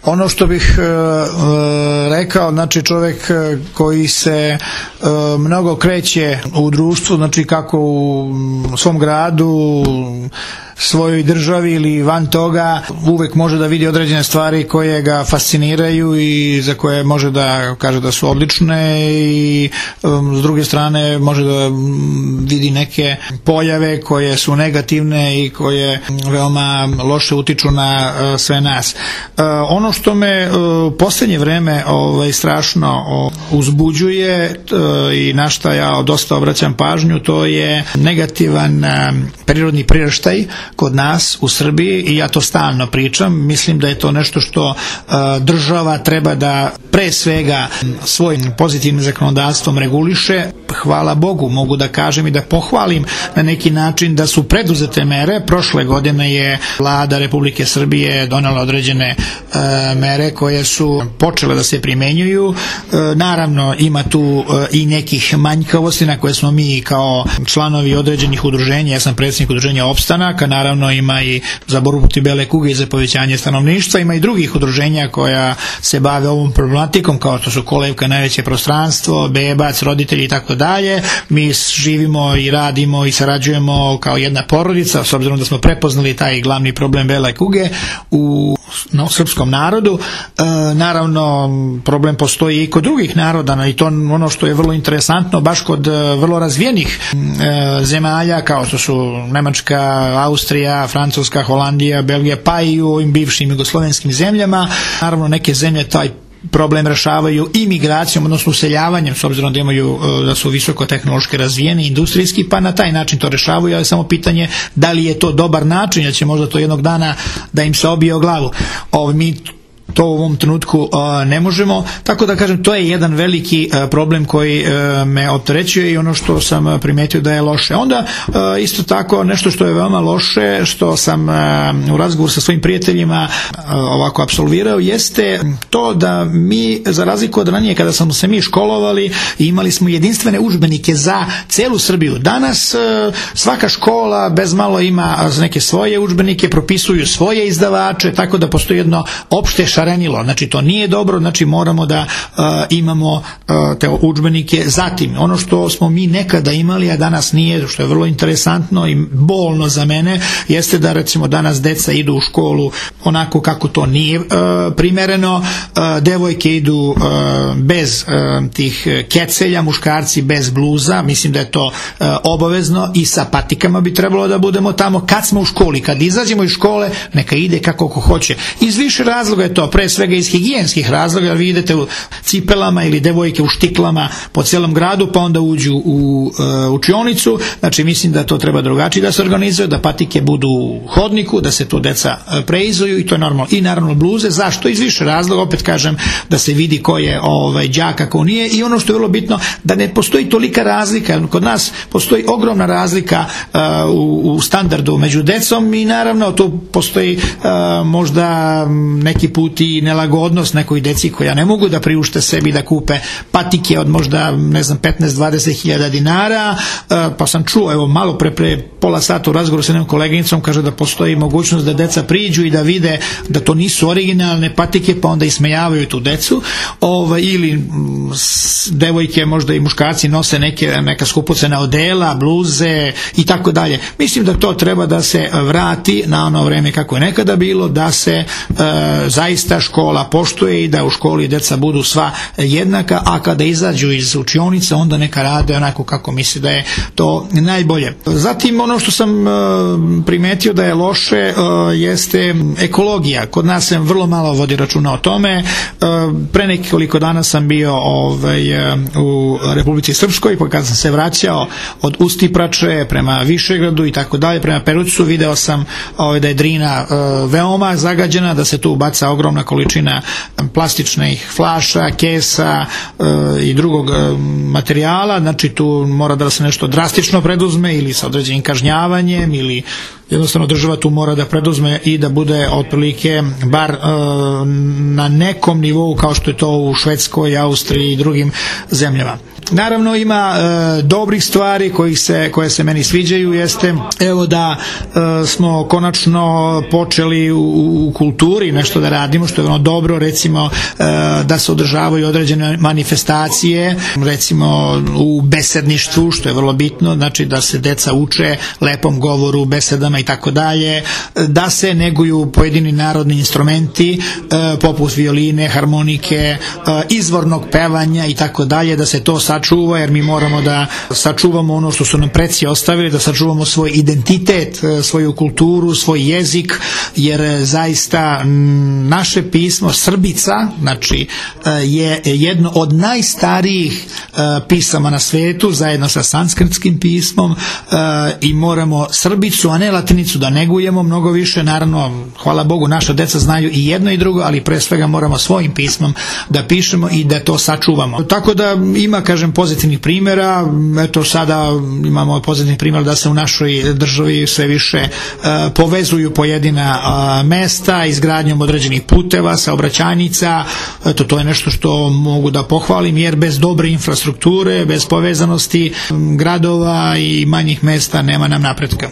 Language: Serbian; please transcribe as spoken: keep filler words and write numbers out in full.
Ono što bih e, rekao, znači čovjek koji se e, mnogo kreće u društvu, znači kako u svom gradu, svojoj državi ili van toga, uvek može da vidi određene stvari koje ga fasciniraju i za koje može da kaže da su odlične i um, s druge strane može da vidi neke pojave koje su negativne i koje veoma loše utiču na uh, sve nas. Uh, ono što me u uh, posljednje vreme ovaj, strašno uh, uzbuđuje uh, i na šta ja dosta obraćam pažnju, to je negativan uh, prirodni priraštaj kod nas u Srbiji i ja to stalno pričam. Mislim da je to nešto što uh, država treba da pre svega svojim pozitivnim zakonodavstvom reguliše. Hvala Bogu, mogu da kažem i da pohvalim na neki način da su preduzete mere. Prošle godine je Vlada Republike Srbije donela određene uh, mere koje su počele da se primenjuju. Uh, naravno ima tu uh, i nekih manjkavosti na koje smo mi kao članovi određenih udruženja, ja sam predsjednik udruženja Opstanak, naravno ima i za borbu protiv bele kuge i za povećanje stanovništva, ima i drugih udruženja koja se bave ovom problematikom, kao što su Kolevka, Najveće prostranstvo, Bebac, roditelji i tako dalje. Mi živimo i radimo i sarađujemo kao jedna porodica, s obzirom da smo prepoznali taj glavni problem bele kuge u no, srpskom narodu. E, naravno, problem postoji i kod drugih naroda i to ono što je vrlo interesantno, baš kod vrlo razvijenih e, zemalja kao što su Nemačka, Austrija, Francuska, Holandija, Belgija, pa i u ovim bivšim jugoslovenskim zemljama. Naravno, neke zemlje taj problem rešavaju imigracijom, odnosno useljavanjem, s obzirom da imaju, da su visoko tehnološki razvijeni, industrijski, pa na taj način to rešavaju, ali samo pitanje da li je to dobar način, jer će možda to jednog dana da im se obije o glavu. Ovo, mi to u ovom trenutku uh, ne možemo, tako da kažem, to je jedan veliki uh, problem koji uh, me opterećuje i ono što sam uh, primetio da je loše. Onda uh, isto tako nešto što je veoma loše, što sam uh, u razgovoru sa svojim prijateljima uh, ovako apsolvirao, jeste to da mi, za razliku od ranije kada smo se mi školovali, imali smo jedinstvene udžbenike za celu Srbiju. Danas uh, svaka škola bez malo ima neke svoje udžbenike, propisuju svoje izdavače, tako da postoji jedno opšte šarenilo. Znači to nije dobro, znači moramo da uh, imamo uh, te udžbenike. Zatim, ono što smo mi nekada imali, a danas nije, što je vrlo interesantno i bolno za mene, jeste da recimo danas deca idu u školu onako kako to nije uh, primereno, uh, devojke idu uh, bez uh, tih kecelja, muškarci bez bluza, mislim da je to uh, obavezno i sa patikama bi trebalo da budemo tamo kad smo u školi, kad izađemo iz škole neka ide kako ko hoće. Iz više razloga je to, pre svega iz higijenskih razloga, jer vi idete u cipelama ili devojke u štiklama po celom gradu, pa onda uđu u uh, učionicu. Znači mislim da to treba drugačije da se organizuje, da patike budu u hodniku, da se to deca uh, preizuju i to je normalno. I naravno bluze, zašto? Iz više razloga, opet kažem, da se vidi ko je ovaj, đak, a ko nije, i ono što je vrlo bitno, da ne postoji tolika razlika. Kod nas postoji ogromna razlika uh, u, u standardu među decom i naravno tu postoji uh, možda neki put i nelagodnost nekoj deci koja ne mogu da priušte sebi da kupe patike od možda, ne znam, petnaest do dvadeset hiljada dinara, pa sam čuo, evo, malo pre, pre pola sata u razgovoru sa jednom koleginicom, kaže da postoji mogućnost da deca priđu i da vide da to nisu originalne patike, pa onda ismejavaju tu decu, ovaj, ili m, s, devojke, možda i muškarci nose neke, neka skupocena odela, bluze i tako dalje. Mislim da to treba da se vrati na ono vreme kako je nekada bilo, da se e, zaista škola poštuje i da u školi deca budu sva jednaka, a kada izađu iz učionica onda neka rade onako kako misli da je to najbolje. Zatim ono što sam e, primetio da je loše e, jeste ekologija. Kod nas se vrlo malo vodi računa o tome. E, pre nekoliko dana sam bio ovaj, u Republici Srpskoj, pa kada sam se vraćao od Ustiprače prema Višegradu i tako dalje, prema Perućcu, video sam ovaj, da je Drina e, veoma zagađena, da se tu baca ogromna količina plastičnih flaša, kesa e, i drugog e, materijala. Znači tu mora da se nešto drastično preduzme ili sa određenim kažnjavanjem, ili jednostavno država tu mora da preduzme i da bude otprilike bar e, na nekom nivou kao što je to u Švedskoj, Austriji i drugim zemljama. Naravno ima e, dobrih stvari koji se, koje se meni sviđaju, jeste evo da e, smo konačno počeli u, u kulturi nešto da radimo što je ono dobro, recimo e, da se održavaju određene manifestacije, recimo u besedništvu, što je vrlo bitno, znači da se deca uče lepom govoru, besedama i tako dalje, da se neguju pojedini narodni instrumenti e, poput violine, harmonike, e, izvornog pevanja i tako dalje, da se to sačuva, jer mi moramo da sačuvamo ono što su nam preci ostavili, da sačuvamo svoj identitet, svoju kulturu, svoj jezik, jer zaista naše pismo Srbica, znači je jedno od najstarijih pisama na svetu, zajedno sa sanskritskim pismom, i moramo Srbicu, a ne latinicu da negujemo mnogo više. Naravno, hvala Bogu, naša deca znaju i jedno i drugo, ali pre svega moramo svojim pismom da pišemo i da to sačuvamo. Tako da ima, kažem, pozitivnih primjera. Eto, sada imamo pozitivnih primjera da se u našoj državi sve više uh, povezuju pojedina uh, mesta izgradnjom određenih puteva, saobraćajnica. Eto, to je nešto što mogu da pohvalim, jer bez dobre infrastrukture, bez povezanosti um, gradova i manjih mesta nema nam napretka.